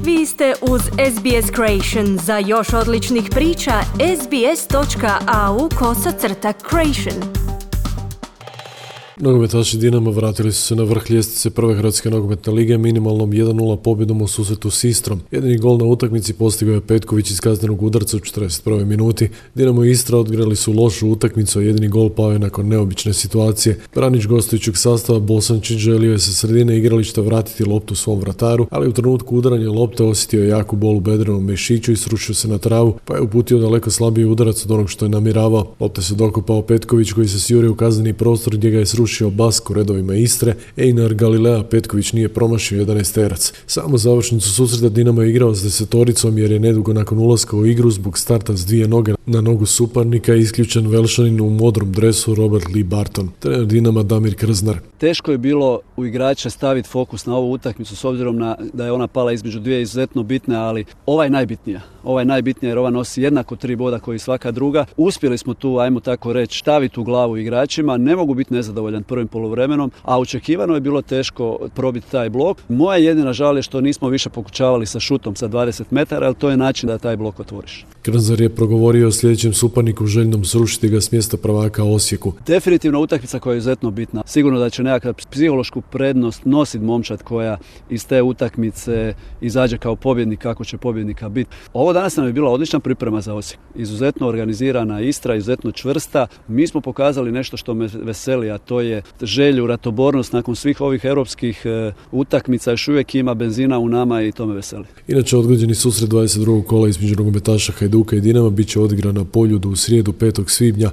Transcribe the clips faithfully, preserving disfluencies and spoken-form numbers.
Vi ste uz S B S Creation. Za još odličnih priča, sbs.au kosacrta creation. Nogometaši Dinama vratili su se na vrh ljestvice prve Hrvatske nogometne lige minimalnom jedan nula pobjedom u susretu s Istrom. Jedini gol na utakmici postigao je Petković iz kaznenog udarca u četrdeset prvoj minuti. Dinamo i Istra odigrali su lošu utakmicu, a jedini gol pao je nakon neobične situacije. Branić gostujućeg sastava Bosančić želio je sa sredine igrališta vratiti loptu svom vrataru, ali u trenutku udaranja lopte osjetio je jaku bol u bedrenom mišiću i srušio se na travu, pa je uputio daleko slabiji udarac od onog što je namjeravao. Lopte se dokopao Petković koji se sjurio u kazneni prostor gdje ga je srušio Bask u redovima Istre. Einar Galilea Petković nije promašio jedanaesterac. Samo završnicu susreta Dinamo je igrao s desetoricom jer je nedugo nakon ulaska u igru zbog starta s dvije noge na nogu suparnika isključen Velšanin u modrom dresu Robert Lee Barton. Trener Dinama Damir Krznar. Teško je bilo u igrača staviti fokus na ovu utakmicu s obzirom na da je ona pala između dvije izuzetno bitne, ali ova je najbitnija. Ova je najbitnija jer ova nosi jednako tri boda koji svaka druga. Uspjeli smo tu, ajmo tako reći, staviti u glavu igračima. Ne mogu biti nezadovoljan prvim poluvremenom, a očekivano je bilo teško probiti taj blok. Moja jedina žal je što nismo više pokušavali sa šutom sa dvadeset metara, ali to je način da taj blok otvoriš. Krznar je progovorio o sljedećem suparniku željnom srušiti ga s mjesta prvaka Osijeku. Definitivno utakmica koja je izuzetno bitna. Sigurno da će nekakvu psihološku prednost nositi momčad koja iz te utakmice izađe kao pobjednik, kako će pobjednika biti. Ovo danas nam je bila odlična priprema za Osijek. Izuzetno organizirana Istra, izuzetno čvrsta. Mi smo pokazali nešto što me veseli, a to je želju, ratobornost nakon svih ovih europskih e, utakmica. Još uvijek ima benzina u nama i to me veseli. Inače, odgođeni susret dvadeset drugog kola između nogometaša Hajduka i Dinama bit će odigran na Poljudu u srijedu petog svibnja,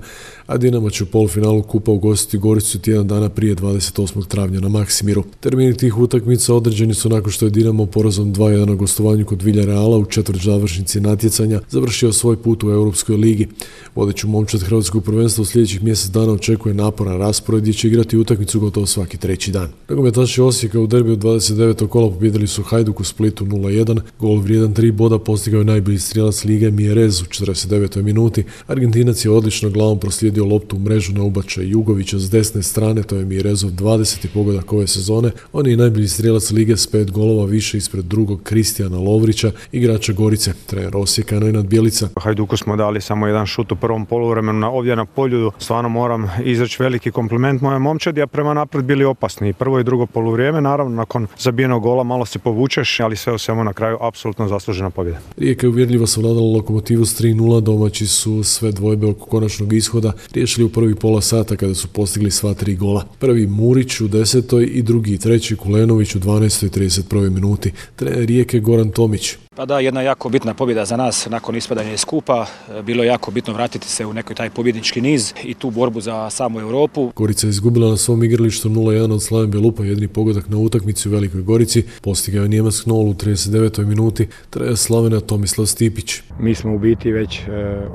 a Dinamo će u polufinalu kupa ugostiti Goricu tjedan dana prije dvadeset osmog travnja na Maksimiru. Termini tih utakmica određeni su nakon što je Dinamo porazom dva jedan na gostovanju kod Villarreala u četvrt završnici natjecanja završio svoj put u Europskoj ligi. Vodeću momčad hrvatskog prvenstva u sljedećih mjesec dana očekuje naporan raspored gdje će igrati utakmicu gotovo svaki treći dan. Nogometaši Osijeka u derbiju dvadeset devetog kola pobijedili su Hajduk u Splitu nula jedan. Gol vrijedan tri boda postigao je najbolji strijelac lige Mjerez u četrdeset devetoj minuti. Argentinac je odlično glavom proslijedio loptu u mrežu na ubačaj Jugovića s desne strane, to je Mjerezov dvadeseti pogodak ove sezone. On je najbolji strijelac lige s pet golova više ispred drugog Kristijana Lovrića, igrača Gorice. Trener Osijeka Nenad Bjelica. Hajduku smo dali samo jedan šut u prvom poluvremenu na, ovdje na Poljudu. Stvarno moram izreći veliki kompliment moje momčadi, a prema naprijed bili opasni. Prvo i drugo poluvrijeme, naravno nakon zabijenog gola malo se povučeš, ali sve u svemu na kraju apsolutno zaslužena pobjeda. Rijeka je uvjerljivo savladala Lokomotivu s tri nula, domaći su sve dvojbe oko konačnog ishoda riješili u prvi pola sata kada su postigli sva tri gola. Prvi Murić u desetoj i drugi i treći Kulenović u dvanaestoj i trideset prvoj minuti. Trener Rijeke Goran Tomić. Pa da, jedna jako bitna pobjeda za nas nakon ispadanja iz kupa. Bilo je jako bitno vratiti se u neki taj pobjednički niz i tu borbu za samu Europu. Gorica je izgubila na svom igralištu nula jedan od Slaven Belupa, jedini pogodak na utakmici u Velikoj Gorici. Postigao je Njemac Knoll u trideset devetoj minuti, trener Slavena Tomislav Stipić. Mi smo u biti već e,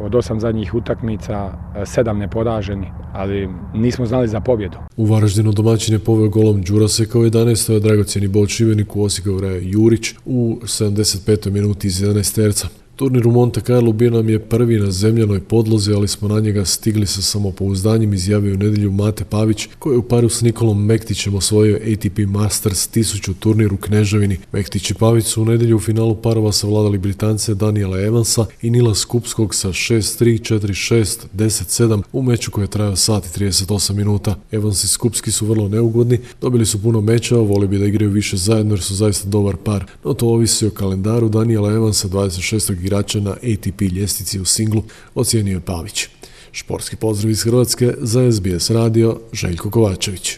od osam zadnjih utakmica e, sedam neporaženi, ali nismo znali za pobjedu. U Varaždinu domaćin je poveo golom Đuraseka u jedanaestoj, a dragocjeni bod Šibeniku osigurao je Jurić u sedamdeset petoj minuti iz jedanaesterca. Turnir u Monte Carlo bio nam je prvi na zemljanoj podlozi, ali smo na njega stigli sa samopouzdanjem, izjavio u nedjelju Mate Pavić, koji je u paru s Nikolom Mektićem osvojio A T P Masters tisuću turnir u Kneževini. Mektić i Pavić su u nedjelju u finalu parova savladali Britance Daniela Evansa i Nila Skupskog sa šest tri, četiri šest, deset sedam u meču koji je trajao sat i trideset osam minuta. Evans i Skupski su vrlo neugodni, dobili su puno mečeva, voli bi da igraju više zajedno jer su zaista dobar par, no to ovisi o kalendaru Daniela Evansa, dvadeset šestog igrača na A T P ljestvici u singlu, ocijenio je Pavić. Športski pozdrav iz Hrvatske za S B S radio, Željko Kovačević.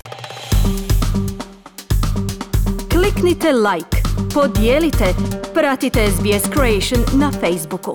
Kliknite like, podijelite, pratite S B S Creation na Facebooku.